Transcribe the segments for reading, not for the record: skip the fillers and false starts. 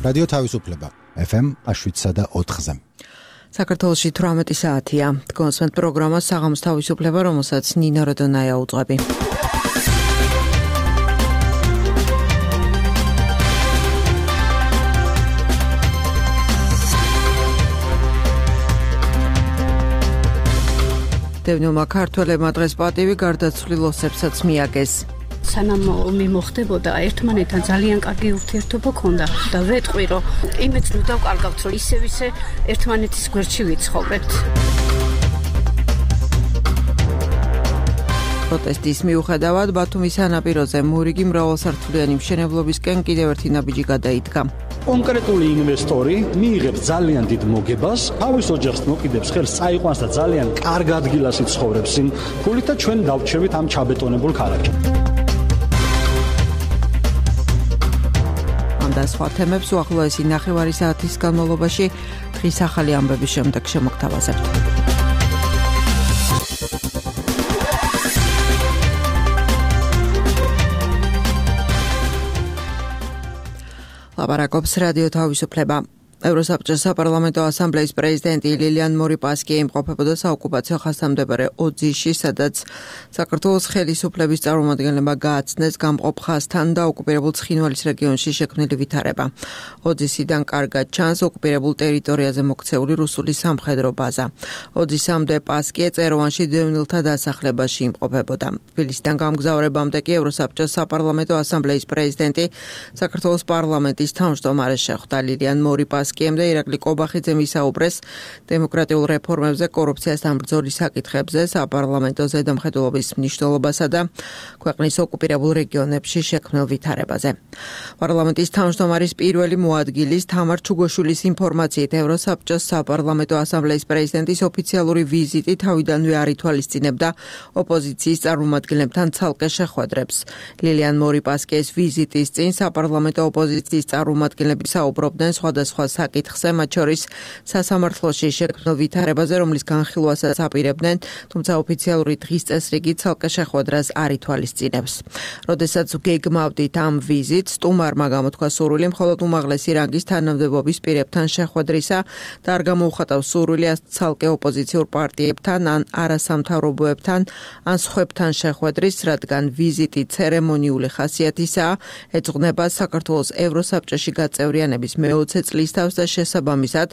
რადიო თავისუფლება FM 7.4-ზე. საქართველოში 18 საათია. გონსვენთ პროგრამა საღამოს თავისუფლება, რომელსაც ნინა როდონაია უძღვები. დევნილმა ქართველებმა დღეს პატივი გარდაცვლილ ოსებსაც მიაგეს. სანამ მიმოხდებოდა ერთმანეთთან ძალიან კარგი ურთიერთობა ქონდა და ვეტყვი რომ იმეც ნუ დავკარგავთ რომ ისე ერთმანეთის გვერდში ვიცხოვრებთ. პროტესტის მიუხედავად ბათუმის სანაპიროზე მურიგი მრავალსართულიანი მშენებლობისკენ კიდევ ერთი ნაბიჯი გადაიდგა. კონკრეტული ინვესტორი მიიღებს ძალიან დიდ მოგებას, თავის ოჯახს მოკიდებს ხელს, წაიყვანს და ძალიან კარგ ადგილას იცხოვრებს იმ ფულით და ჩვენ დავჩევით ამ ჩაბეტონებულ ქალაქში. და სხვა თემებს უახლოესი ნახევარი საათის განმავლობაში დღის ახალი ამბების შემდეგ შემოგთავაზებთ. ლაპარაკობს რადიო თავისუფლება. ევროსაბჭოს საპარლამენტო ასამბლეის პრეზიდენტი ლილიან მორიპასკი იმყოფებოდა საოკუპაციო ხაზთამდებარე ოძიში, სადაც საქართველოს ხელისუფლების წარმომადგენლებმა გააცნეს გამყოფ ხაზთან და ოკუპირებულ ცხინვალის რეგიონში შექმნილი ვითარება. ოძისიდან კარგად ჩანს ოკუპირებულ ტერიტორიაზე მოქცეული რუსული სამხედრო ბაზა. ოძისამდე პასკი წეროვანში დევნილთა დასახლებაში იმყოფებოდა. თბილისიდან გამგზავრებამდე კი ევროსაბჭოს საპარლამენტო ასამბლეის პრეზიდენტი საქართველოს პარლამენტის თავმჯდომარეს შეხვდა. ლილიან მორიპასკი და ირაკლი კობახიძემ ისაუბრეს დემოკრატიულ რეფორმებზე, კორუფციასთან ბრძოლის საკითხებზე, საპარლამენტო ზედამხედველობის მნიშვნელობასა და ქვეყნის ოკუპირებულ რეგიონებში შექმნილ ვითარებაზე. პარლამენტის თავმჯდომარის პირველი მოადგილის თამარ ჩუგოშვილის ინფორმაციით, ევროსაბჭოს საპარლამენტო ასამბლეის პრეზიდენტის ოფიციალური ვიზიტი თავიდანვე არ ითვალისწინებდა ოპოზიციის წარმომადგენლებთან ცალკე შეხვედრებს. ლილიან მორიპასკის ვიზიტის წინ საპარლამენტო ოპოზიციის წარმომადგენლები საუბრობდნენ სხვადასხვა საკითხზე, მათ შორის სასამართლოში შექმნილ ვითარებაზე, რომლის განხილვასაც აპირებდნენ, თუმცა ოფიციალური დღის წესრიგი ცალკე შეხვედრას არ ითვალისწინებს. როდესაც გეგმავდით ამ ვიზიტს, სტუმარმა გამოთქვა სურვილი მხოლოდ უმაღლესი რანგის თანამდებობის პირებთან შეხვედრისა და არ გამოუხატავს სურვილი ცალკე ოპოზიციურ პარტიებთან ან არასამთავრობოებთან ან სხვებთან შეხვედრის, რადგან ვიზიტი ცერემონიული ხასიათისაა, ეძღვნება საქართველოს ევროსაბჭოში გაწევრიანების მე-20 წლის თავს და შესაბამისად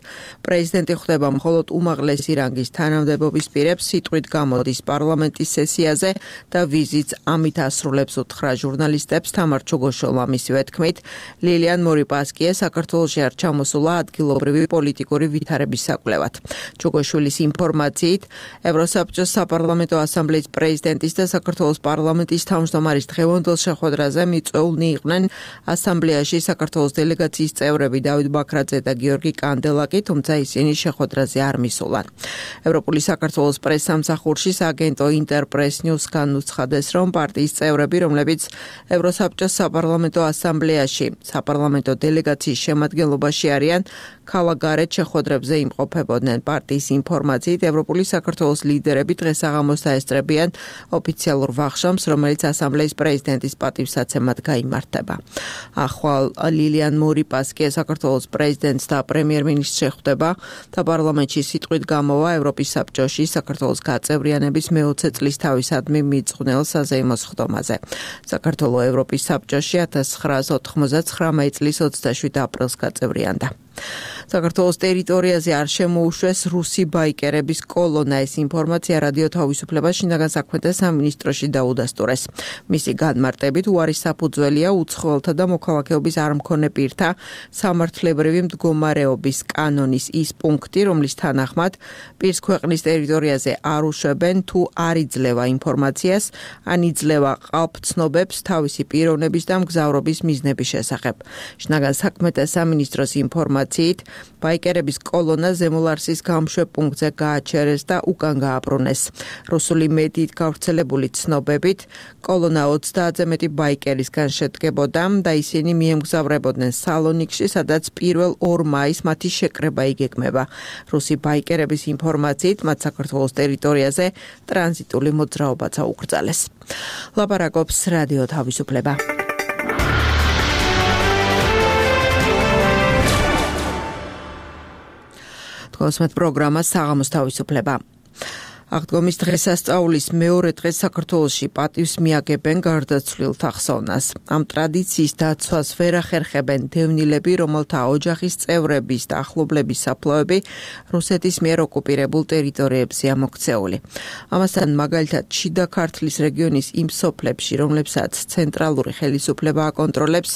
პრეზიდენტი ხვდება მხოლოდ უმაღლესი რანგის თანამდებობის პირებს, სიტყვით გამოდის პარლამენტის სესიაზე და ვიზიტს ამით ასრულებს უთხრა ჟურნალისტებს თამარ ჩუგოშვილმა. მისივე თქმით, ლილიან მორიპასკი საქართველოში არ ჩამოსულა ადგილობრივი პოლიტიკური ვითარების საკვლევად. ჩუგოშვილის ინფორმაციით, ევროსაბჭოს საპარლამენტო ასამბლეის პრეზიდენტის და საქართველოს პარლამენტის თავმჯდომარის დღევანდელ შეხვედრაზე მიწვეულნი იყვნენ ასამბლეაში საქართველოს დელეგაციის წევრები დავით ბაქრაძე და გიორგი კანდელაკი, თუმცა ისინი შეხვედრაზე არ მისულან. ევროპული საქართველოს პრესსამსახურში აგენტო ინტერპრეს ნიუსგან უცხადეს, რომ პარტიის წევრები, რომლებიც ევროსაბჭოს საპარლამენტო ასამბლეაში საპარლამენტო დელეგაციის შემადგენლობაში არიან, ქალაქგარეთ შეხვედრებზე იმყოფებოდნენ. პარტიის ინფორმაციით, ევროპული საქართველოს ლიდერები დღეს საღამოს დაესწრებიან ოფიციალურ ვახშამს, რომელიც ასამბლეის პრეზიდენტის პატივსაცემად გაიმართება. ახვალ ლილიან მორიპასკი საქართველოს პრეზიდენტს და პრემიერ-მინისტრს შეხვდება და პარლამენტში სიტყვით გამოვა ევროპის საბჭოში საქართველოს გაწევრიანების მე-20 წლის თავისადმი მიძღვნილ საზეიმო სხდომაზე. საქართველო ევროპის საბჭოში 1999 წლის 27 აპრილს გაწევრიანდა. საქართველოს ტერიტორიაზე არ შემოუშვეს რუსი ბაიკერების კოლონა. ეს ინფორმაცია რადიო თავისუფლება შინაგან საქმეთა სამინისტროში დაუდასტურეს. მისი განმარტებით, უარის საფუძველია უცხოელთა და მოქალაქეობის არ მქონე პირთა სამართლებრივი მდგომარეობის კანონის ის პუნქტი, რომლის თანახმად პირს ქვეყნის ტერიტორიაზე არ უშვებენ თუ არ იძლევა ინფორმაციას, ან იძლევა ყალბცნობებს თავისი პიროვნების და მგზავრობის მიზნების შესახებ. შინაგან საქმეთა სამინისტროს ინფორმაციით, ბაიკერების კოლონა ზემოლარსის გამშვებ პუნქტზე გააჩერეს და უკან გააბრუნეს. რუსული მედიით გავრცელებული ცნობებით, კოლონა 30-ზე მეტი ბაიკერისგან შედგებოდა და ისინი მიემგზავრებოდნენ სალონიკში, სადაც 1 მაისს მათი შეკრება იგეგმება. რუსი ბაიკერების ინფორმაციით, მათ საქართველოს ტერიტორიაზე ტრანზიტული მოძრაობაც აუკრძალეს. ლაპარაკობს რადიო თავისუფლება. გასმეთ პროგრამა საღამოს თავისუფლება. აღდგომის დღესასწაულის მეორე დღეს საქართველოში პატივს მიაგებენ გარდაცვლილთა ხსოვნას. ამ ტრადიციის დაცვას ვერ ახერხებენ დევნილები, რომელთა ოჯახის წევრების და ახლობლების საფლავები რუსეთის მიერ ოკუპირებულ ტერიტორიებზეა მოქცეული. ამასთან მაგალითად შიდა ქართლის რეგიონის იმ სოფლებში, რომლებსაც ცენტრალური ხელისუფლება აკონტროლებს,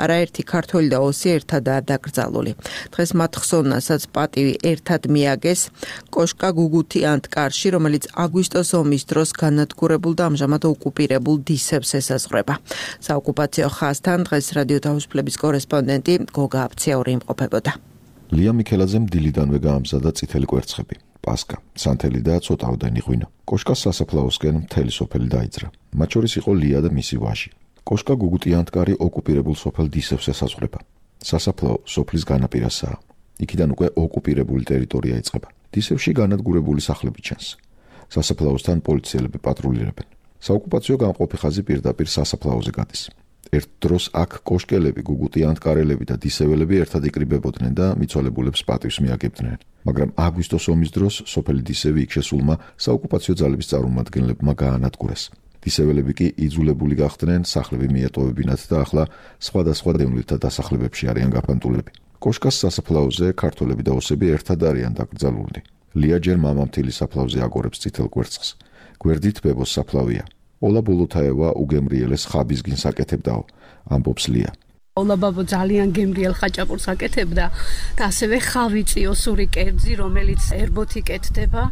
არაერთი ქართველი და 20 ერთადაა დაკრძალული. დღეს მათ ხსოვნასაც პატივი ერთად მიაგეს კოშკა გუგუთი ანტკარში, რომელიც აგვისტოს ომის დროს განადგურებულ და ამჟამად ოკუპირებულ დისებს ესაზღვრება. საოკუპაციო ხაზთან დღეს რადიო თავისუფლების კორესპონდენტი გოგა აფციური იმყოფებოდა. ლია მიქელაძემ დილიდანვე გაამზადა წითელი კვერცხები, პასკა, სანთელი და ცოტაოდენი ღვინო. კოშკას სასაფლაოსკენ მთელი სოფელი დაიძრა. მათ შორის იყო ლია და მისი ვაჟი. კოშკა გუგუტი ანტკარი ოკუპირებულ სოფელ დისებს ესაზღვრება. სასაფლაო სოფლის განაპირასაა. იქიდან უკვე ოკუპირებული ტერიტორია იწყება. დისებში განადგურებული სახლები ჩანს. სასაფლაოსთან პოლიციელები პატრულირებენ. საოკუპაციო გამყოფი ხაზი პირდაპირ სასაფლაოზე გადის. ერთ დროს აქ კოშკელები, გუგუტი ანტკარელები და დისეველები ერთად იკრიბებოდნენ და მიცვალებულებს პატივს მიაგებდნენ. მაგრამ აგვისტოს ომის დროს სოფელი დისევი იქ შესულმა საოკუპაციო ძალების წარმომადგენლებმა გაანადგურეს. დისეველები კი იძულებული გახდნენ სახლები მიეტოვებინათ და ახლა სხვადასხვა დევნილთა დასახლებებში არიან გაფანტულები. კოშკას სასაფლაოზე ქართველები და ოსები ერთად არიან დაკრძალულნი. ლია ჯერ მამამთილის საფლავზე აგორებს წითელ კვერცხს. გვერდით ბებოს საფლავია. ოლა ბოლოთაევა უგემრიელეს ხაბისგინს აკეთებდაო, ამბობს ლია. ოლა ბაბო ძალიან გემრიელ ხაჭაპურს აკეთებდა და ასევე ხავიწი ოსური კერძი, რომელიც ერბოთი კეთდება.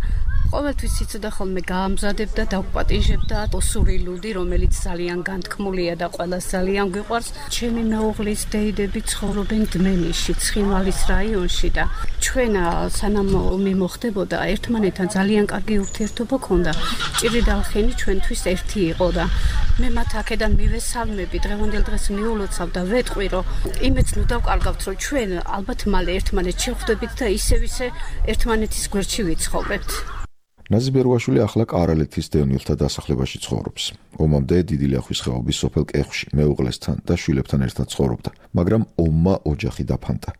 ყოველთვის იცოდა ხოლმე გაამზადებდა და დაუპატიჟებდა ოსური ლუდი, რომელიც ძალიან განთქმულია და ყველას ძალიან გვიყვარს. ჩემი მეუღლის დეიდები ცხოვრობენ დმენისში, ცხინვალის რაიონში და ჩვენ სანამ ომი მოხდებოდა, ერთმანეთთან ძალიან კარგი ურთიერთობა ჰქონდა. ჭირიდალხენი ჩვენთვის ერთი იყო და მე მათ აქედან მივესალმები, დღევანდელ დღეს მიულოცავ და ვეტყვი, რომ იმეც ნუ დავკარგავთ, რომ ჩვენ ალბათ მალე ერთმანეთს შევხვდებით და ისე ერთმანეთის გვერდში ვიცხოვრებთ. ნაზი ბერუაშვილი ახლა კარალეთის დევნილთა დასახლებაში ცხოვრობს. ომამდე დიდი ლიახვის ხეობის სოფელ კეხში მეუღლესთან და შვილებთან ერთად ცხოვრობდა, მაგრამ ომმა ოჯახი დაფანტა.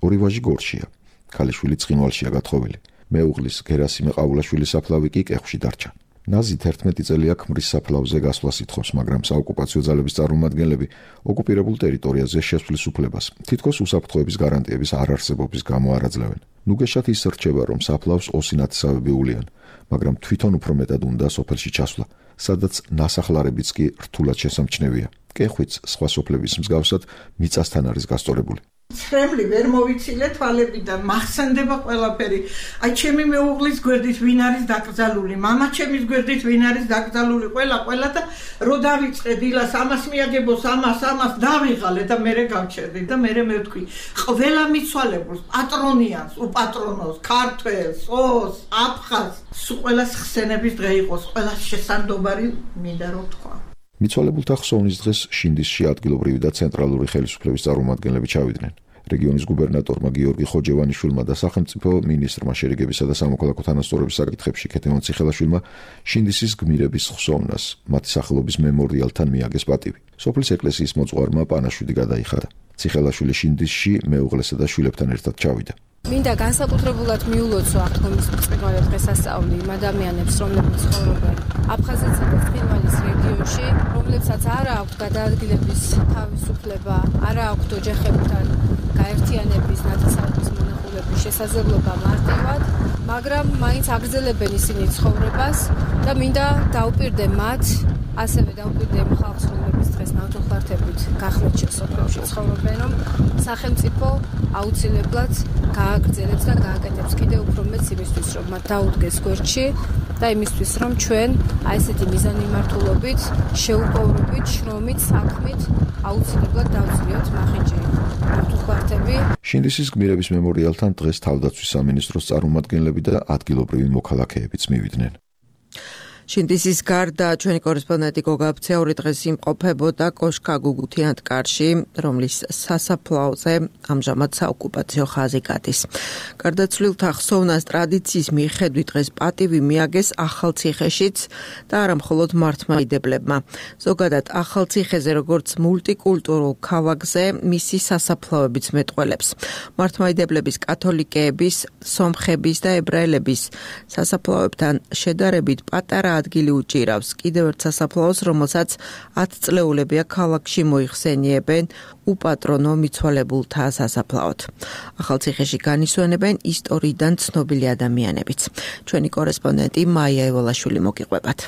ორი ვაჟი გორშია, ქალიშვილი ცხინვალშია გათხოვილი. მეუღლის გერასიმე ყაულაშვილის საფლავი კი კეხში დარჩა. ნაზი 11 წელია ქმრის საფლავზე გასვლას ითხოვს, მაგრამ საოკუპაციო ძალების წარმომადგენლები ოკუპირებულ ტერიტორიაზე შესვლის უფლებას თითქოს უსაფრთხოების გარანტიების არარსებობის გამო არ აძლევენ. ნუგეშად ის რჩება, რომ საფლავს ოსინათესავები უვლიან, მაგრამ თვითონ უფრო მეტად უნდა სოფელში ჩასვლა, სადაც ნასახლარებიც კი რთულად შესამჩნევია. კეხვიც სხვა სოფლების მსგავსად მიწასთან არის გასწორებული. ცრემლი ვერ მოვიცილე თვალებიდან, მახსენდება ყველაფერი. აი ჩემი მეუღლის გვერდით ვინ არის დაკრძალული, მამა ჩემის გვერდით ვინ არის დაკრძალული, ყველა და რო დავიწყე დილას ამას მიაგებოს, ამას დავიღალე და მერე გავჩერდი და მერე მე ვთქვი, ყველა მიცვალებულს, პატრონიანს, უპატრონოს, ქართველს, ოს, აფხაზს, ყველას ხსენების დღე იყოს, ყველას შესაძლებელი მინდა რომ თქვა. მიცვალებულთა ხსოვნის დღეს შინდისში ადგილობრივი და ცენტრალური ხელისუფლების წარმომადგენლები ჩავიდნენ. რეგიონის გუბერნატორმა გიორგი ხოჯევანიშვილმა და სახელმწიფო მინისტრმა შერიგებისა და სამოქალაქო თანასწორობის საკითხებში ქეთევან ციხელაშვილმა შინდისის გმირების ხსოვნას მათი სახელობის მემორიალთან მიაგეს პატივი. სოფლის ეკლესიის მოწვარმა პანაშვიდი გადაიხადა. ციხელაშვილი შინდისში მეუღლესა და შვილებთან ერთად ჩავიდა. მინდა განსაკუთრებულად მიულოცო აღდგომის ბრწყინვალე დღესასწაული იმ ადამიანებს, რომლებიც ცხოვრობენ აფხაზეთსა და ცხინვალის რეგიონში, რომლებსაც არ აქვთ გადაადგილების თავისუფლება, არ აქვთ ოჯახებთან გაერთიანების, ნათესაობის მონახულების შესაძლებლობა მარტივად, მაგრამ მაინც აგრძელებენ ისინი ცხოვრებას და მინდა დაუპირდე მათ, ასევე დაუპირდე იმ ხალხს, რომლებიც დღეს ნავთობხლართებით გახლეჩილ სოფლებში ცხოვრობენ, რომ სახელმწიფო აუცილებლად გააგრძელებს და გააკეთებს კიდევ უფრო მეც იმისთვის, რომ მათ დაუდგეს გვერდში და იმისთვის, რომ ჩვენ აი ესეთი მიზანმიმართულობით, შეუპოვრობით, შრომით, საქმით აუცილებლად დავწვიოთ მახინჯი ნავთობხლართები. შინდისის გმირების მემორიალთან დღეს თავდაცვის სამინისტროს წარმომადგენლები და ადგილობრივი მოქალაქეებიც მივიდნენ. შინდისის გარდა ჩვენი კორესპონდენტი გოგა აფცეური დღეს იმყოფებოდა კოშკა გუგუთიანთკარში, რომლის სასაფლაოზე ამჟამად საოკუპაციო ხაზი გადის. გარდაცვლილთა ხსოვნას ტრადიციის მიხედვით დღეს პატივი მიაგეს ახალციხეშიც და არა მხოლოდ მართლმადიდებლებმა. ზოგადად ახალციხეზე როგორც მულტიკულტურულ ქალაქზე მისი სასაფლაოებიც მეტყველებს. მართლმადიდებლების, კათოლიკეების, სომხების და ებრაელების სასაფლაოებთან შედარებით პატარა ადგილი უჭირავს კიდევ ერთ სასაფლაოს, რომელსაც 10 წლეულებია ქალაქში მოიხსენიებენ უპატრონო მიცვალებულთა სასაფლაოდ. ახალციხეში განისვენებენ ისტორიიდან ცნობილი ადამიანებიც. ჩვენი კორესპონდენტი მაია ევალაშვილი მოგიყვებათ.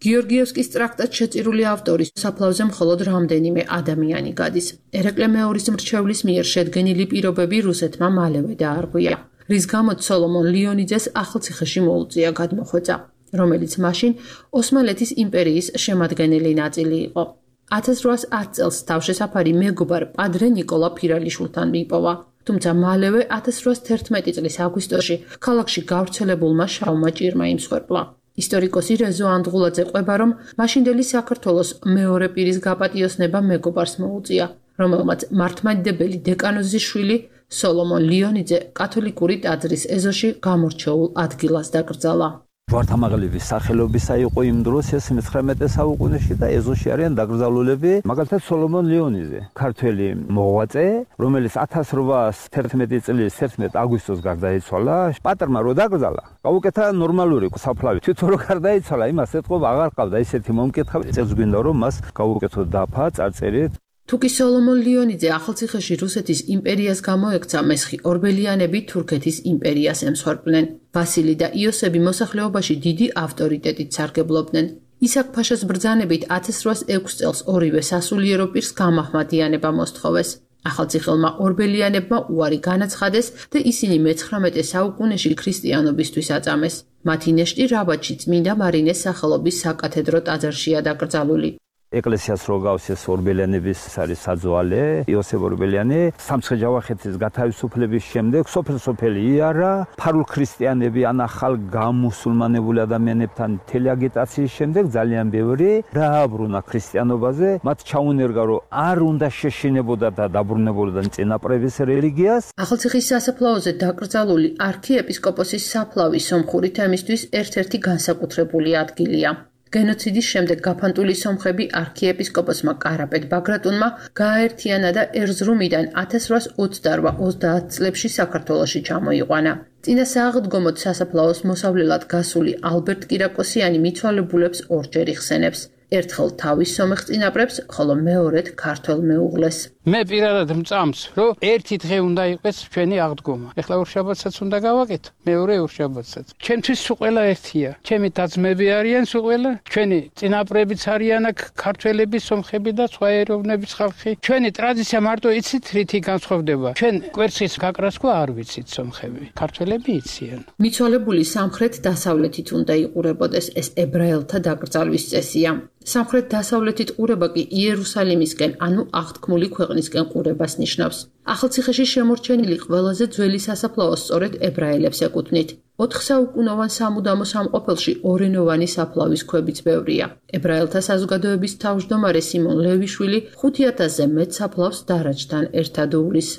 გიორგიევსკის ტრაქტატ შეწირული ავტორის საფლავზე მხოლოდ რამდენიმე ადამიანი გადის. ერეკლე მეორის მრჩევლის მიერ შედგენილი პირობები რუსეთმა მალევე დაარღვია, რის გამოც სოლომონ ლიონიძეს ახალციხეში მოუწია გადმოხვეწა, რომელიც მაშინ ოსმალეთის იმპერიის შემადგენელი ნაწილი იყო. 1810 წელს თავშესაფარი მეგობარ პადრე ნიკოლა ფირალიშვილთან მიპოვა, თუმცა მალევე 1811 წლის აგვისტოში ქალაქში გავრცელებულმა შავმა ჭირმა იმსხვერპლა. ისტორიკოსი რეზო ანდღულაძე ყვება, რომ მაშინდელი საქართველოს მეორე პირის გაპატიოსნება მეგობარს მოუწია, რომელმაც მართლმადიდებელი დეკანოზის შვილი სოლომონ ლიონიძე კათოლიკური ტაძრის ეზოში გამორჩეულ ადგილას დაკრძალა. ჯვართამაღლების სახელობისა იყო იმ დროს ეს 19 საუკუნეში და ეზოში არიან დაკრძალულები, მაგალითად სოლომონ ლიონიძე, ქართველი მოღვაწე, რომელიც 1811 წლის 11 აგვისტოს გარდაიცვალა. პატრმა რო დაკრძალა, გაუკეთა ნორმალური საფლავი. თვითონ რო გარდაიცვალა, იმას ეთყობა აღარ ყავდა ისეთი მომკითხავი, წელს გვინდა რომ მას გაუკეთო დაფა, წარწერით. თუკი სოლომონ ლიონიძე ახალციხეში რუსეთის იმპერიას გამოექცა, მესხი ორბელიანები თურქეთის იმპერიას ემსხვერპლნენ. ვასილი და იოსები მოსახლეობაში დიდი ავტორიტეტით სარგებლობდნენ. ისაკ ფაშას ბრძანებით 1806 წელს ორივე სასულიერო პირს გამაჰმადიანება მოსთხოვეს. ახალციხელმა ორბელიანებმა უარი განაცხადეს და ისინი მე-19 საუკუნეში ქრისტიანობისთვის აწამეს. მათი ნეშტი რაბათში წმინდა მარინეს სახელობის საკათედრო ტაძარშია დაკრძალული. ეკლესიას რო გავს ეს ორბელიანების არის საძვალე, იოსებ ორბელიანი, სამცხე-ჯავახეთის გათავისუფლების შემდეგ სოფელ-სოფელი იარა, ფარულ ქრისტიანები ან ახალ გამუსულმანებული ადამიანებთან მთელი აგიტაციის შემდეგ ძალიან ბევრი დააბრუნა ქრისტიანობაზე, მათ ჩაუნერგა რომ არ უნდა შეშინებოდა და დაბრუნებულიდან წინაპრების რელიგიას. ახალციხის სასაფლაოზე დაკრძალული არქიეპისკოპოსის საფლავი სომხური თემისთვის ერთ-ერთი განსაკუთრებული ადგილია. გენოციდის შემდეგ გაფანტული სომხები არქიეპისკოპოსმა კარაპეტ ბაგრატუნმა გააერთიანა და ერზრუმიდან 1828-30 წლებში საქართველოში ჩამოიყვანა. წინა სააღდგომოდ სასაფლაოს მოსავლელად გასული ალბერტ კირაკოსიანი მიცვალებულებს ორჯერ იხსენებს. ერთხელ თავის სომეხ წინაპრებს, ხოლო მეორედ ქართველ მეუღლეს. მე პირადად მწამს, რომ ერთი დღე უნდა იყოს ჩვენი აღდგომა. ეხლა ორშაბათსაც უნდა გავაკეთო, მეორე ორშაბათსაც. ჩემთვის სულ ყველა ერთია. ჩემი და-ძმები არიან სულ ყველა, ჩვენი წინაპრებიც არიან აქ ქართველები, სომხები და სხვა ეროვნების ხალხი. ჩვენი ტრადიცია მარტო იცით რითი განსხვავდება. ჩვენ კვერცხის გაკრასკვა არ ვიცით სომხები. ქართველები იციან. მიცვალებული სამხრეთ-დასავლეთით უნდა იყურებოდეს, ეს ებრაელთა დაკრძალვის წესია. სამხრეთ-დასავლეთით ყურება კი იერუსალიმისკენ, ანუ აღთქმული ქვეყნისკენ ყურებას ნიშნავს. ახალციხეში შემორჩენილი ყველაზე ძველი სასაფლაო სწორედ ებრაელებს ეკუთვნით. 4 საუკუნოვან სამუდამო სამყოფელში ორენოვანი საფლავის ქვებიც ბევრია. ებრაელთა საზოგადოების თავმჯდომარე სიმონ ლევიშვილი 5000-ზე მეტ საფლავს დარაჯთან ერთად უვლის.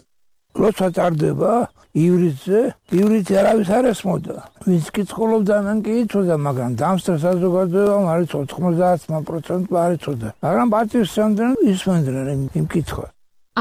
როცა წარდება ივრითზე, ივრითი არავის არ ესმოდა. ვინც კი ცხოვრობდა, მან კი იცოდა, მაგრამ დამსწრე საზოგადოებამ არ იცოდა 90% არ იცოდა. მაგრამ პატივსცემდნენ ისმენდნენ იმ კითხვას.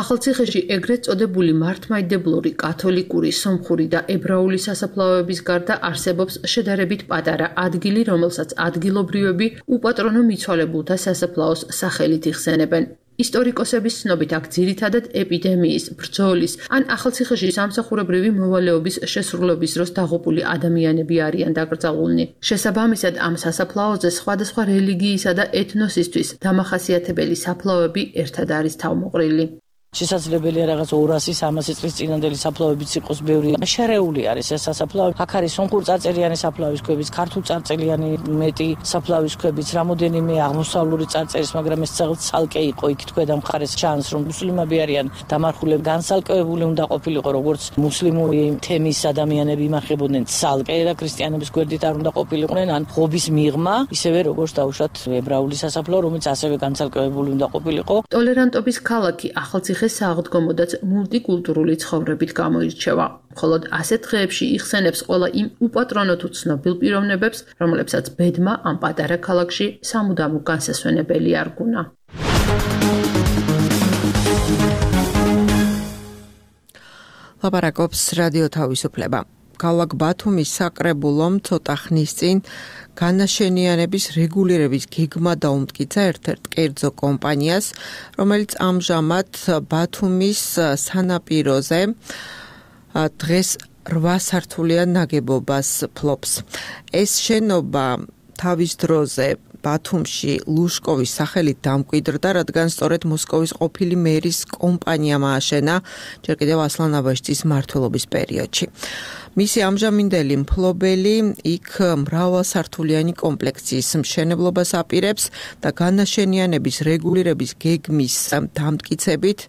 ახალციხეში ეგრეთ წოდებული მართლმადიდებლური, კათოლიკური, სომხური და ებრაული სასაფლაოების გარდა არსებობს შედარებით პატარა ადგილი, რომელსაც ადგილობრივები უპატრონო მიცვალებულთა სასაფლაოს სახელით იხსენებენ. ისტორიკოსების ცნობით აქ ძირითადად ეპიდემიის, ბრძოლის ან ახალციხეში სამსახურებრივი მოვალეობის შესრულების დროს დაღუპული ადამიანები არიან დაკრძალულნი. შესაბამისად, ამ სასაფლაოზე სხვადასხვა რელიგიისა და ეთნოსისთვის დამახასიათებელი საფლავები ერთად არის თავმოყრილი. შესაძლებელია რაღაც 200-300 წლის წინანდელი საფლავებიც იყოს ბევრი. შერეული არის ეს სასაფლავი. აქ არის სომხურ წარწერიანი საფლავის ქვებიც, ქართულ წარწერიანი მეტი საფლავის ქვებიც, რამოდენიმე აღმოსავლური წარწერის, მაგრამ ეს ცალკე იყო იქ თქვენ მხარეს ჩანს, რომ მუსლიმები არიან დამარხულები, განსალკევებული უნდა ყოფილიყო როგორც მუსლიმური თემის ადამიანები იმახებოდნენ ცალკე და ქრისტიანების გვერდით არ უნდა ყოფილიყვნენ, ან ღობის მიღმა, ისევე როგორც დაუშვათ ებრაული სასაფლაო, რომელიც ასევე განსალკევებული უნდა ყოფილიყო. ტოლერანტობის ქალაქი ახალციხე სააღდგომოდაც მულტიკულტურული ცხოვრებით გამოირჩევა. მხოლოდ ასეთ დღეებში იხსენებს ყველა იმ უპატრონო თუ ცნობილ პიროვნებებს, რომლებსაც ბედმა ამ პატარა ქალაქში სამუდამო განსასვენებელი არ გუნა. ლაპარაკობს რადიო თავისუფლება. ქალაქ ბათუმის საკრებულომ ცოტა ხნის წინ განაშენიანების რეგულირების გეგმა დაუმტკიცა ერთ-ერთ კერძო კომპანიას, რომელიც ამჟამად ბათუმის სანაპიროზე დღეს 8 სართულიან ნაგებობას ფლობს. ეს შენობა თავის დროზე ბათუმში ლუშკოვის სახელით დამკვიდრდა, რადგან სწორედ მოსკოვის ყოფილი მერის კომპანიამ ააშენა ჯერ კიდევ ასლან აბაშიძის მმართველობის პერიოდში. მისი ამჟამინდელი მფლობელი იქ მრავალსართულიანი კომპლექსის მშენებლობას აპირებს და განაშენიანების რეგულირების გეგმის დამტკიცებით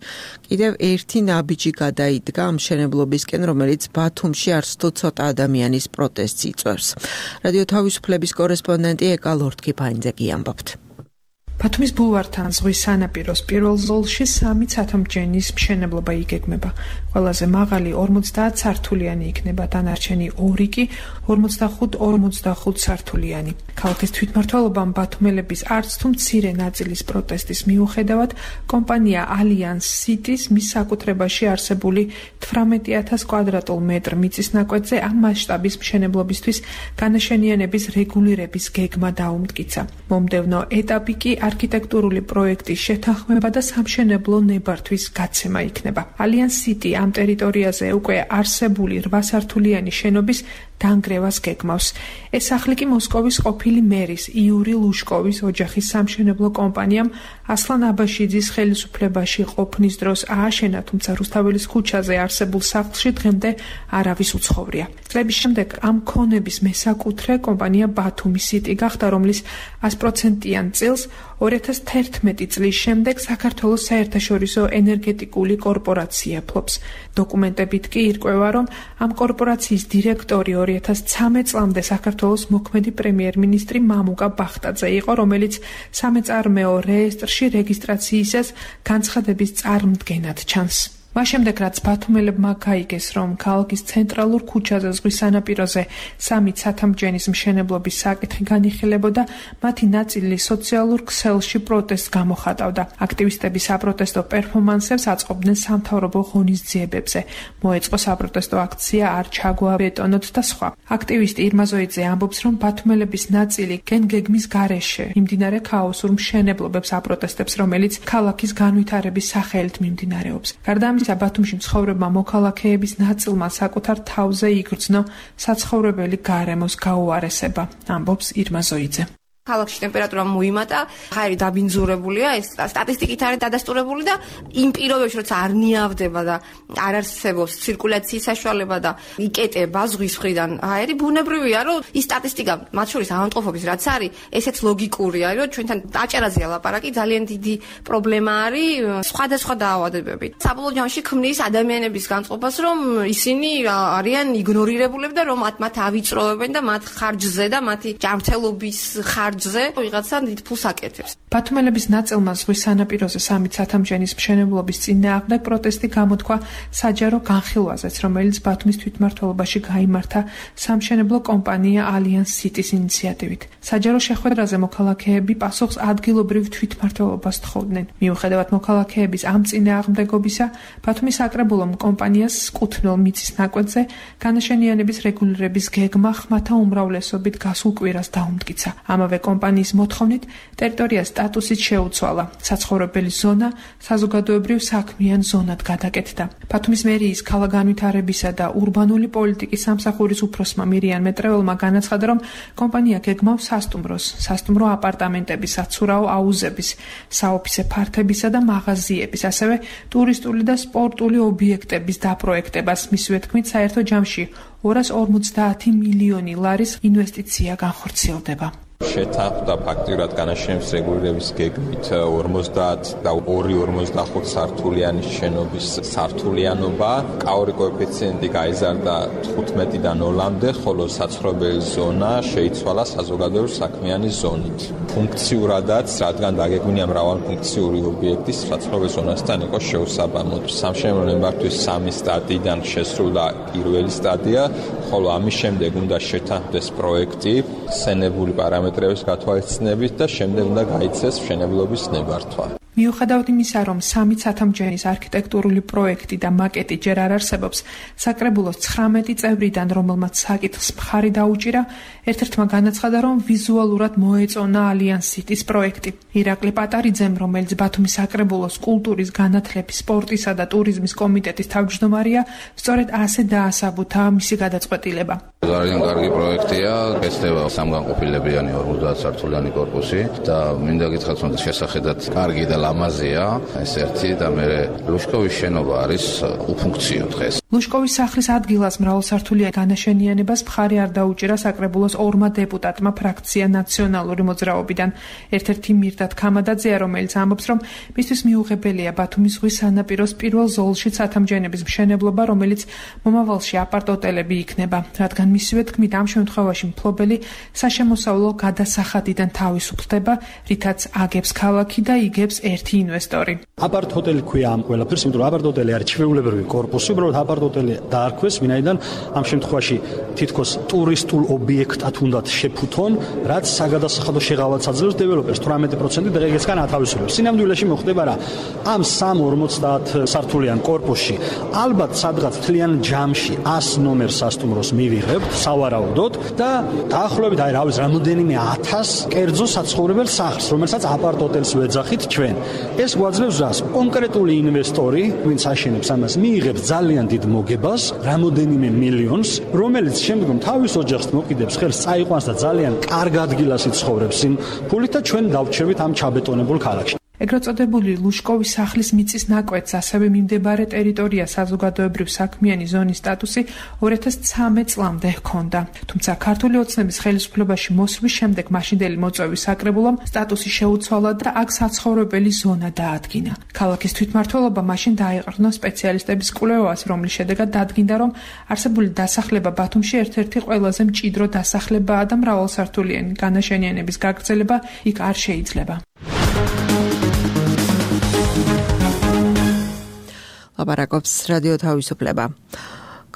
კიდევ ერთი ნაბიჯი გადაიდგა ამ მშენებლობისკენ, რომელიც ბათუმში არც თუ ცოტა ადამიანის პროტესტს იწვევს. რადიო თავისუფლების კორესპონდენტი ეკა ლორთქიფაინძე გიამბობთ. ბათუმის ბულვართან ზღვის სანაპიროს პირველ ზოლში 3 ცათამბჯენის მშენებლობა იგეგმება. ყველაზე მაღალი 50 სართულიანი იქნება, დანარჩენი 2 კი 45 სართულიანი. ქალაქის თვითმმართველობამ ბათუმელების არც თუ მცირე ნაწილის პროტესტის მიუხედავად კომპანია ალიანს სიტის მის საკუთრებაში არსებული 18000 კვადრატულ მეტრ მიწის ნაკვეთზე ამ მასშტაბის მშენებლობისთვის განაშენიანების რეგულირების გეგმა დაუმტკიცა. მომდევნო ეტაპი კი არქიტექტურული პროექტის შეთანხმება და სამშენებლო ნებართვის გაცემა იქნება. ალიანს სიტი ამ ტერიტორიაზე უკვე არსებული 8 სართულიანი შენობის დანგრევას გეგმავს. ეს სახლი კი მოსკოვის ყოფილი მერის იური ლუშკოვის ოჯახის სამშენებლო კომპანიამ ასლან აბაშიძის ხელისუფლებაში ყოფნის დროს ააშენა, თუმცა რუსთაველის ქუჩაზე არსებულ სახლში დღემდე არავის უცხოვრია. წლების შემდეგ ამ ქონების მესაკუთრე კომპანია ბათუმის სიტი გახდა, რომლის 100%-იან წილს 2011 წლის შემდეგ საქართველოს საერთაშორისო ენერგეტიკული კორპორაცია ფლობს. დოკუმენტებით კი ირკვევა, რომ ამ კორპორაციის დირექტორი 2013 წლამდე საქართველოს მოქმედი პრემიერ-მინისტრი მამუკა ბახტაძე იყო, რომელიც სამეწარმეო რეესტრში რეგისტრაციისას განცხადების წარმდგენად ჩანს. მას შემდეგ, რაც ბათუმელებმა გაიგეს, რომ ქალაქის ცენტრალურ ქუჩაზე ზღვის სანაპიროზე 3 ცათამბჯენის მშენებლობის საკითხი განიხილებოდა, მათი ნაწილი სოციალურ ქსელში პროტესტს გამოხატავდა. აქტივისტები საპროტესტო პერფორმანსებს აწყობდნენ სამთავრობო ღონისძიებებზე. მოეწყო საპროტესტო აქცია არ ჩაგვაბეტონოთ და სხვა. აქტივისტი ირმა ზოიძე ამბობს, რომ ბათუმელების ნაწილი გეგმის გარეშე მიმდინარე ქაოსურ მშენებლობებს აპროტესტებს, რომელიც ქალაქის განვითარების სახელით მიმდინარეობს. გარდა ბათუმში მცხოვრებმა მოქალაქეების ნაწილმა საკუთარ თავზე იგრძნო საცხოვრებელი გარემოს გაუარესება, ამბობს ირმა ზოიძე. ქალაქში ტემპერატურა მოიმატა, ხარი დაბინძურებულია, ეს სტატისტიკით არის დადასტურებული და იმ პირობებში, როცა არ ნიავდება და არ არსებობს ცირკულაციის საშუალება და იკეტება ზღვის მხრიდან აერი, ბუნებრივია, რომ ის სტატისტიკა, მათ შორის ავადმყოფობის რაც არის, ესეც ლოგიკურია, რომ ჩვენთან დაჭერაზეა ლაპარაკი, ძალიან დიდი პრობლემა არის სხვადასხვა დაავადებები. საბოლოო ჯამში ქმნის ადამიანების განწყობას, რომ ისინი არიან იგნორირებულები და რომ მათ ავიწროვებენ და მათ ხარჯზე და მათი ჯანმრთელობის ვიღაცა დიდ ფულს აკეთებს. ბათუმელების ნაწილმა ზღვის სანაპიროზე 3 ცათამბჯენის მშენებლობის წინააღმდეგ პროტესტი გამოთქვა საჯარო განხილვაზეც, რომელიც ბათუმის თვითმმართველობაში გაიმართა სამშენებლო კომპანია ალიანს სიტის ინიციატივით. საჯარო შეხვედრაზე მოქალაქეები პასუხს ადგილობრივ თვითმმართველობას თხოვდნენ. მიუხედავად მოქალაქეების ამ წინააღმდეგობისა, ბათუმის საკრებულომ კომპანიას კუთვნილ მიწის ნაკვეთზე განაშენიანების რეგულირების გეგმა ხმათა უმრავლესობით გასულ კვირას დაუმტკიცა. ამავე კომპანიის მოთხოვნით ტერიტორიას სტატუსით შეუცვალა. საცხოვრებელი ზონა საზოგადოებრივ საქმიან ზონად გადაკეთდა. ბათუმის მერიის ქალაქგანვითარებისა და ურბანული პოლიტიკის სამსახურის უფროსმა მირიან მეტრეველმა განაცხადა, რომ კომპანია გეგმავს სასტუმრო აპარტამენტების, საცურაო აუზების, საოფისე ფართებისა და მაღაზიების, ასევე ტურისტული და სპორტული ობიექტების დაპროექტებას. მისივე თქმით, საერთო ჯამში 250 მილიონი ლარის ინვესტიცია განხორციელდება. შეთანხმდა ფაქტიურად განაშენების რეგულირების გეგმით 50 და 2.45 სართულიანი შენობის სართულიანობა. კაური კოეფიციენტი გაიზარდა 15-დან 0-მდე, ხოლო საცხოვრებელი ზონა შეიცვალა საზოგადოებრივ საქმიანი ზონით. ფუნქციურადაც, რადგან დაგეგმილია მრავალფუნქციური ობიექტი, საცხოვრებელი ზონასთან იყო შეუსაბამოდ. სამშენებლო ნებართვის 3 სტადიიდან შესრულდა პირველი სტადია, ხოლო ამის შემდეგ უნდა შეთანხმდეს პროექტი, სცენებული პარამეტრების გათვალისწინებით და შემდეგ უნდა გაიცეს მშენებლობის ნებართვა. მიუხედავად იმისა, რომ 3 ცათამბჯენის არქიტექტურული პროექტი და მაკეტი ჯერ არ არსებობს, საკრებულოს 19 წევრიდან, რომელმაც საკითხს მხარი დაუჭირა, ერთ-ერთმა განაცხადა, რომ ვიზუალურად მოეწონა ალიანს სიტის პროექტი. ირაკლი პატარიძემ, რომელიც ბათუმის საკრებულოს კულტურის, განათლების, სპორტისა და ტურიზმის კომიტეტის თავმჯდომარეა, სწორედ ასე დაასაბუთა მისი გადაწყვეტილება. ძალიან კარგი პროექტია, გეცდება სამგანყოფილებიანი 50 სართულიანი კორპუსი და მინდა გითხრათ, რომ შესახედად კარგი და ლამაზია ეს ერთი და მე ლუშკოვის შენობა არის უფუნქციო დღეს. ლუშკოვის სახლის ადგილას მრავალსართულიან განაშენიანებას მხარი არ დაუჭირა საკრებულოს 2 დეპუტატმა ფრაქცია ნაციონალური მოძრაობიდან. ერთ-ერთი მირდად ქამადაძეა, რომელიც ამბობს, რომ მისთვის მიუღებელია ბათუმის ზღვის სანაპიროს პირველ ზოლში ცათამბჯენების მშენებლობა, რომელიც მომავალში აპარტ-ოტელები იქნება, რადგან მისივე თქმით, ამ შემთხვევაში მფლობელი საშემოსავლო გადასახადიდან თავისუფლდება, რითაც აგებს ქალაქი და იგებს ერთი ინვესტორი. აპარტ-ოტელი ქვია ამ ყველაფერს, იმიტომ რომ აპარტ-ოტელი არის ჩვეულებრივი კორპუსი, უბრალოდ აპარტ-ოტელი დაარქვეს, ვინაიდან ამ შემთხვევაში თითქოს ტურისტულ ობიექტად უნდათ შეფუთონ, რაც საგადასახადო შეღავაც აძლევს დეველოპერს 18% და ეგეც კან ათავისუფლებს. სინამდვილეში მოხდება რა? ამ 350 სართულიან კორპუსში ალბათ სადღაც მთლიან ჯამში 100 ნომერ სასტუმროს მივიღებთ სავარაუდოდ და დაახლოებით რამოდენიმე 1000 კერძო საცხოვრებელ სახლს, რომელსაც აპარტ-ოტელს ვეძახით ჩვენ. ეს გვაძლევს რას? კონკრეტული ინვესტორი, ვინც აშენებს ამას, მიიღებს ძალიან დიდ მოგებას, რამოდენიმე მილიონს, რომელიც შემდგომ თავის ოჯახს მოკიდებს ხელს, წაიყვანს და ძალიან კარგ ადგილას იცხოვრებს იმ ფულით და ჩვენ დავჩერვით ამ ჩაბეტონებულ ქალაქში. ეგრეთ წოდებული ლუშკოვის სახლის მიწის ნაკვეთს, ასევე მიმდებარე ტერიტორია საზოგადოებრივ საქმიანი ზონის სტატუსი 2013 წლამდე ჰქონდა. თუმცა ქართული ოცნების ხელისუფლებაში მოსვლის შემდეგ მაშინდელი მოწვევის საკრებულომ სტატუსი შეუცვალა და აქ საცხოვრებელი ზონა დაადგინა. ქალაქის თვითმმართველობა მაშინ დაეყრდნო სპეციალისტების კვლევას, რომლის შედეგად დადგინდა, რომ არსებული დასახლება ბათუმში ერთ-ერთი ყველაზე მჭიდრო დასახლებაა და მრავალსართულიანი განაშენიანების გაგრძელება იქ არ შეიძლება. ლაპარაკობს რადიო თავისუფლება.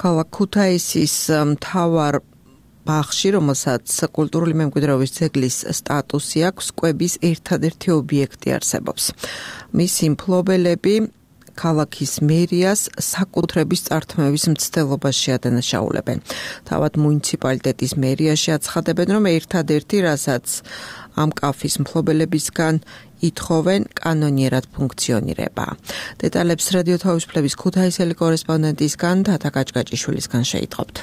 ქალაქ ქუთაისის მთავარ ბაღში, რომელსაც კულტურული მემკვიდრეობის ძეგლის სტატუსი აქვს, კვების ერთადერთი ობიექტი არსებობს. მისი მფლობელები ქალაქის მერიას საკუთრების წართმევის მცდელობაში ადანაშაულებენ. თავად მუნიციპალიტეტის მერიაში აცხადებენ, რომ ერთადერთი, რასაც ამ კაფის მფლობელებისგან ითხოვენ, კანონიერად ფუნქციონირება. დეტალებს რადიო თავისუფლების ქუთაისელი კორესპონდენტისგან თათა კაჭკაჭიშვილისგან შეიტყობთ.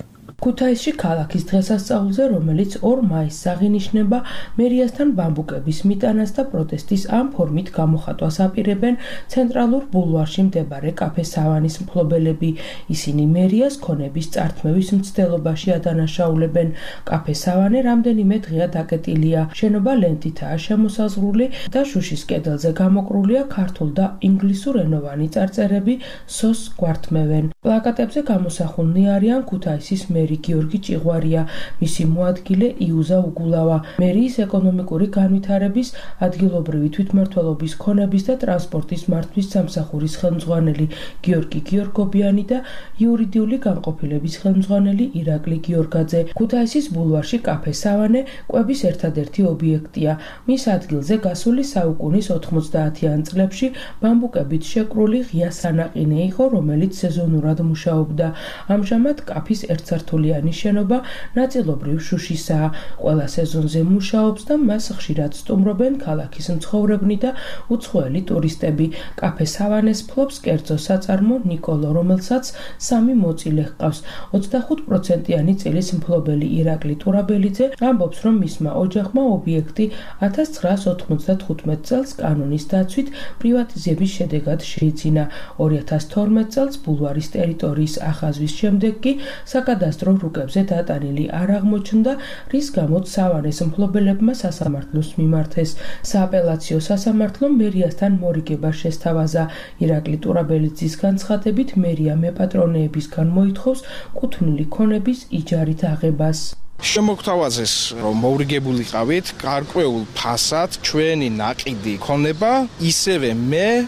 ქუთაისში ქალაქის დღესასწაულზე, რომელიც 2 მაისს აღინიშნება, მერიასთან ბამბუკების მიტანას და პროტესტის ამ ფორმით გამოხატვას აპირებენ ცენტრალურ ბულვარში მდებარე კაფე სავანის მფლობელები. ისინი მერიას ქონების წართმევის მცდელობაში ადანაშაულებენ. კაფე სავანე რამდენიმე დღეა დაკეტილია. შენობა ლენტითაა შემოსაზღვრული და შუშის კედელზე გამოკრულია ქართულ და ინგლისურენოვანი წარწერები სოს გვართმევენ. პლაკატებზე გამოსახულნი არიან ქუთაისის მერი გიორგი ჭიღვარია, მისი მოადგილე იუზა უგულავა, მერიის ეკონომიკური განვითარების, ადგილობრივი თვითმმართველობის ქონების და ტრანსპორტის მართვის სამსახურის ხელმძღვანელი გიორგი გიორგობიანი და იურიდიული განყოფილების ხელმძღვანელი ირაკლი გიორგაძე. ქუთაისის ბულვარში კაფე სავანე კვების ერთადერთი ობიექტია. მის ადგილზე გასული საუკუნის 90-იან წლებში ბამბუკებით შეკრული ღია სანაყინე იყო, რომელიც სეზონურად მუშაობდა. ამჟამად კაფის ერთსართულიანი სართულიანი შენობა ნაწილობრივ შუშისაა. ყველა სეზონზე მუშაობს და მას ხშირად სტუმრობენ ქალაქის მცხოვრებნი და უცხოელი ტურისტები. კაფე სავანეს ფლობს კერძო საწარმო ნიკოლო, რომელსაც 3 მოწილე ჰყავს. 25%-იანი წილის მფლობელი ირაკლი ტურაბელიძე ამბობს, რომ მისმა ოჯახმა ობიექტი 1995 წელს კანონის დაცვით პრივატიზების შედეგად შეიძინა. 2012 წელს ბულვარის ტერიტორიის ახაზვის შემდეგ კი საკადასტრო რუკებზე დატანილი არ აღმოჩნდა, რის გამოც სავანეს მფლობელებმა სასამართლოს მიმართეს. სააპელაციო სასამართლომ მერიასთან მორიგება შესთავაზა. ირაკლი ტურაბელიძის განცხადებით მერია მეპატრონეებისგან მოითხოვს კუთვნილი ქონების იჯარით აღებას. შემოგთავაზეს, რომ მოვრიგებულიყავით გარკვეულ ფასად ჩვენი ნაყიდი ქონება, ისევე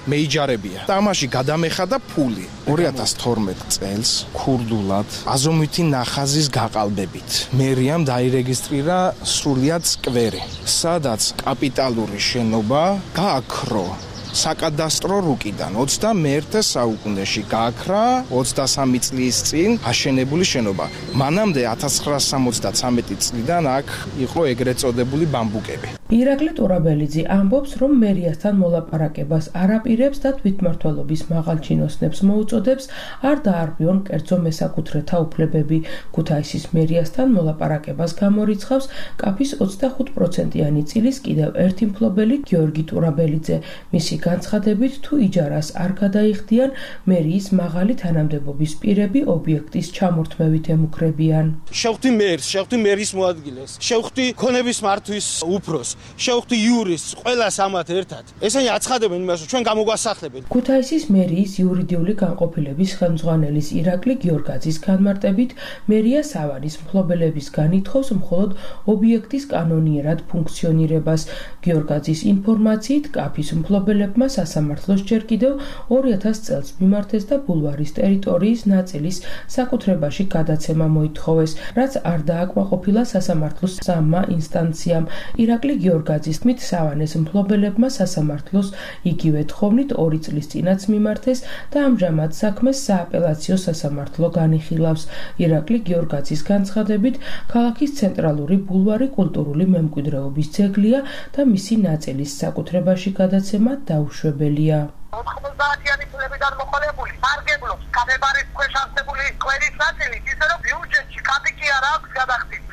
მეიჯარებია. და ამაში გადამეხადა ფული. 2012 წელს ქურდულად აზომვითი ნახაზის გაყალბებით მერიამ დაირეგისტრირა სრულიად სკვერი, სადაც კაპიტალური შენობა გააქრო საკადასტრო რუკიდან 21 საუკუნეში გააქრა 23 წლის წინ აშენებული შენობა. მანამდე 1973 წლიდან აქ იყო ეგრეთ წოდებული ბამბუკები. ირაკლი ტურაბელიძე ამბობს, რომ მერიასთან მოლაპარაკებას არ აპირებს და თვითმმართველობის მაღალ ჩინოსნებს მოუწოდებს არ დაარღვიონ კერძო მესაკუთრეთა უფლებები. ქუთაისის მერიასთან მოლაპარაკებას გამორიცხავს კაფის 25%-იანი წილის კიდევ ერთი მფლობელი გიორგი ტურაბელიძე. მისი განცხადებით, თუ იჯარას არ გადაიხდიან, მერიის მაღალი თანამდებობის პირები ობიექტის ჩამორთმევით ემუქრებიან. შევხვდი მერს, შევხვდი მერის მოადგილეს, შევხვდი ქონების მართვის უფროს, შევხვდი იურისტს, ყველას ამათ ერთად. ესენი აცხადებენ იმას, რომ ჩვენ გამოგვასახლებენ. ქუთაისის მერიის იურიდიული განყოფილების ხელმძღვანელის ირაკლი გიორგაძის განმარტებით, მერია სავანის მფლობელებისგან ითხოვს მხოლოდ ობიექტის კანონიერად ფუნქციონირებას. გიორგაძის ინფორმაციით, კაფის მფლობელებმა სასამართლოს ჯერ კიდევ 2000 წელს მიმართეს და ბულვარის ტერიტორიის ნაწილის საკუთრებაში გადაცემა მოითხოვეს, რაც არ დააკმაყოფილა სასამართლოს 3 ინსტანციამ. ირაკლი გიორგაძის თქმით, სავანეს მფლობელებმა სასამართლოს იგივე თხოვნით 2 წლის წინაც მიმართეს და ამჟამად საქმეს სააპელაციო სასამართლო განიხილავს. ირაკლი გიორგაძის განცხადებით, ქალაქის ცენტრალური ბულვარი კულტურული მემკვიდრეობის ძეგლია და მისი ნაწილის საკუთრებაში გადაცემა დაუშვებელია. 90-იანი წლებიდან მოყოლებული სარგებლობს კაფებარის ქვეშ არსებული სკვერის ნაწილი, ისე რომ ბიუჯეტში კაპიკი არ აქვს გადახდით.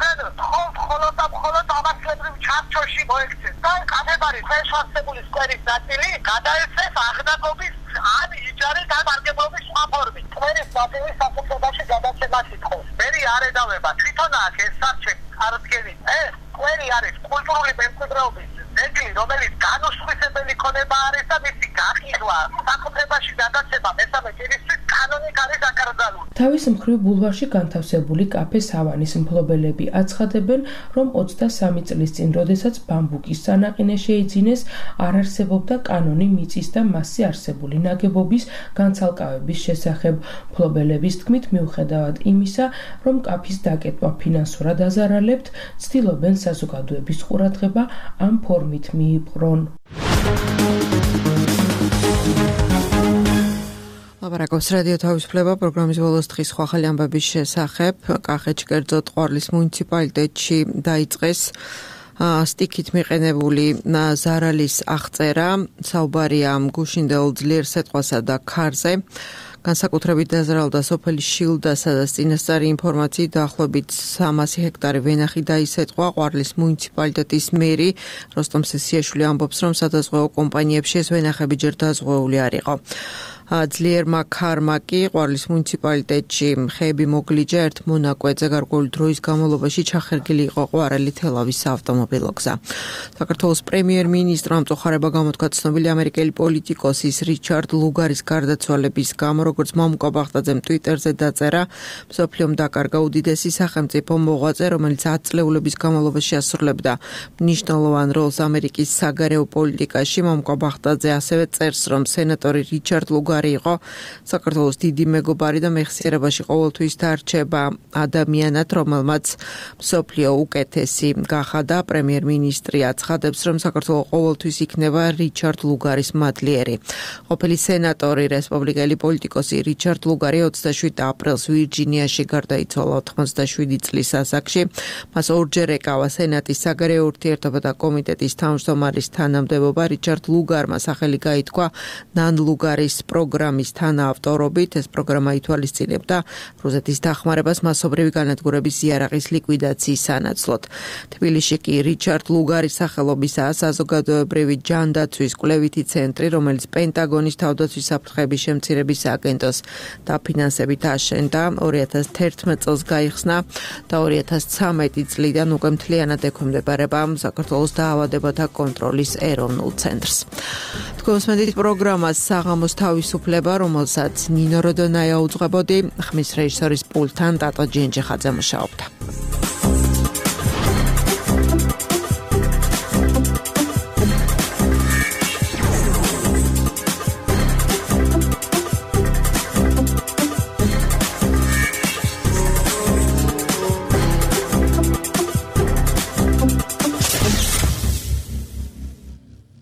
მხოლოდ ამასლებრივ ჩარჩოში მოექცეს და კაფებარის ქვეშ არსებული სკვერის ნაწილი გადაეცეს აღნაგობის ან იჯარით ან სარგებლობის სხვა ფორმით. სკვერის ნაწილის საკუთრებაში გადაცემას ითხოვს. მერი არ ედავება, თვითონ აქ ეს სარჩელი წარდგენით. ეს სკვერი არის კულტურული მემკვიდრეობის ძეგლი, რომელიც განუსხვისებელი ქონება არის და მისი გაყიდვა საკუთრებაში გადაცემა მესამე ჭირისთვის კანონით არის აკრძალული. თავის მხრივ ბულვარში განთავსებული კაფე სავანის მფლობელები აცხადებენ, რომ 23 წლის წინ, როდესაც ბამბუკის სანაყინე შეიძინეს, არ არსებობდა კანონი მიწის და მასზე არსებული ნაგებობის განცალკავების შესახებ. მფლობელების თქმით, მიუხედავად იმისა, რომ კაფის დაკეტვა ფინანსურად აზარალებთ, ცდილობენ საზოგადოების ყურადღება ამ ფორმით მიიპყრონ. ლაპარაკობს რადიო თავისუფლება პროგრამის ბოლოს დღის სხვა ახალი ამბების შესახებ. კახეთში კერძოდ ყვარლის მუნიციპალიტეტში დაიწყეს სტიქით მიყენებული ზარალის აღწერა. საუბარია გუშინდელ ძლიერ სეტყვასა და ქარზე. განსაკუთრებით დაზარალდა სოფელი შილდა, სადაც წინასწარი ინფორმაციით დაახლოებით 300 ჰექტარი ვენახი დაისეტყვა. ყვარლის მუნიციპალიტეტის მერი როსტომ სესიაშვილი ამბობს, რომ სადაზღვეო კომპანიებში ეს ვენახები ჯერ დაზღვეული არ იყო. ძლიერმა ქარმა კი ყვარლის მუნიციპალიტეტში ხეები მოგლიჯა ერთ მონაკვეთზე გარკვეული დროის განმავლობაში ჩახერგილი იყო ყვარელი თელავის საავტომობილო გზა. საქართველოს პრემიერ-მინისტრმა მწუხარება გამოთქვა ცნობილი ამერიკელი პოლიტიკოსის რიჩარდ ლუგარის გარდაცვალების გამო, როგორც მამუკა ბახტაძემ ტვიტერზე დაწერა, მსოფლიომ დაკარგა უდიდესი სახელმწიფო მოღვაწე, რომელიც 10 წლეულების განმავლობაში ასრულებდა მნიშვნელოვან როლს ამერიკის საგარეო პოლიტიკაში. მამუკა ბახტაძე ასევე წერს, რომ სენატორი რიჩარდ ლუგარი მეგობარი იყო, საქართველოს დიდი მეგობარი და მეხსიერებაში ყოველთვის დარჩება ადამიანად, რომელმაც მსოფლიო უკეთესი გახადა. პრემიერ-მინისტრი აცხადებს, რომ საქართველო ყოველთვის იქნება რიჩარდ ლუგარის მადლიერი. ყოფილი სენატორი, რესპუბლიკელი პოლიტიკოსი რიჩარდ ლუგარი 27 აპრილს ვირჯინიაში გარდაიცვალა 87 წლის ასაკში. მას ორჯერ ეკავა სენატის საგარეო ურთიერთობათა კომიტეტის თავმჯდომარის თანამდებობა. რიჩარდ ლუგარმა სახელი გაითქვა ნან ლუგარის პროგრამის თანაავტორობით. ეს პროგრამა ითვალისწინებდა რუსეთის დახმარებას მასობრივი განადგურების იარაღის ლიკვიდაციის სანაცვლოდ. თბილისში კი რიჩარდ ლუგარის სახელობისაა საზოგადოებრივი ჯანდაცვის კვლევითი ცენტრი, რომელიც პენტაგონის თავდაცვის საფრთხების შემცირების აგენტოს დაფინანსებით აშენდა. 2011 წელს გაიხსნა და 2013 წლიდან უკვე მთლიანად ექვემდებარება საქართველოს დაავადებათა კონტროლის ეროვნულ ცენტრს. თქვენს მედით პროგრამას საღამოს თავისუფლება, რომელსაც ნინო როდონაია უძღვებოდი, ხმის რეჟისორის პულტთან ტატო ჯინჯიხაძე მუშაობდა.